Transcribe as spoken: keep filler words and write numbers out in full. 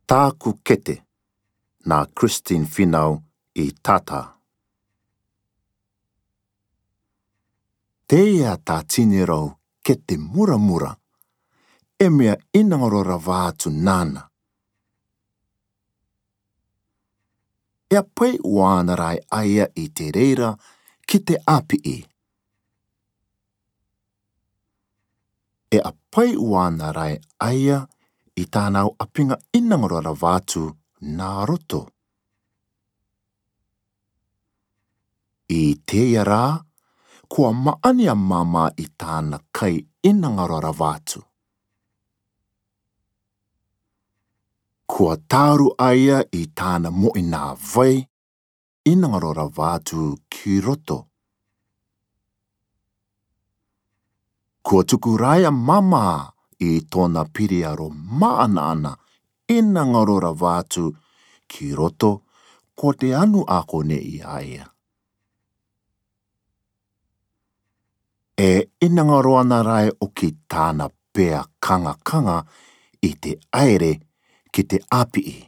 Taku kete na Christine Finau i Tata. Teia ta tini rau kete mura-mura, e me'a inangarora vātu nana. E a pai'uana rai aia i te reira ki te 'āpi'i. E a pai'uana rai aia i tānau 'āpiga inangarora vātu na roto. I teia rā, kua ma'ani a māmā i tāna kai inangarora vātu. Kua tāru aia i tāna mo'i nā vai inangarora vātu ki roto. Kua tuku rai a māmā i tōna piri aro ma'ana-'ana inangarora vātu ki roto, ko te anu ako nei a ia. E inangarora nā rai 'o ki tāna pea kaga-kaga i te aire ki te 'āpi'i.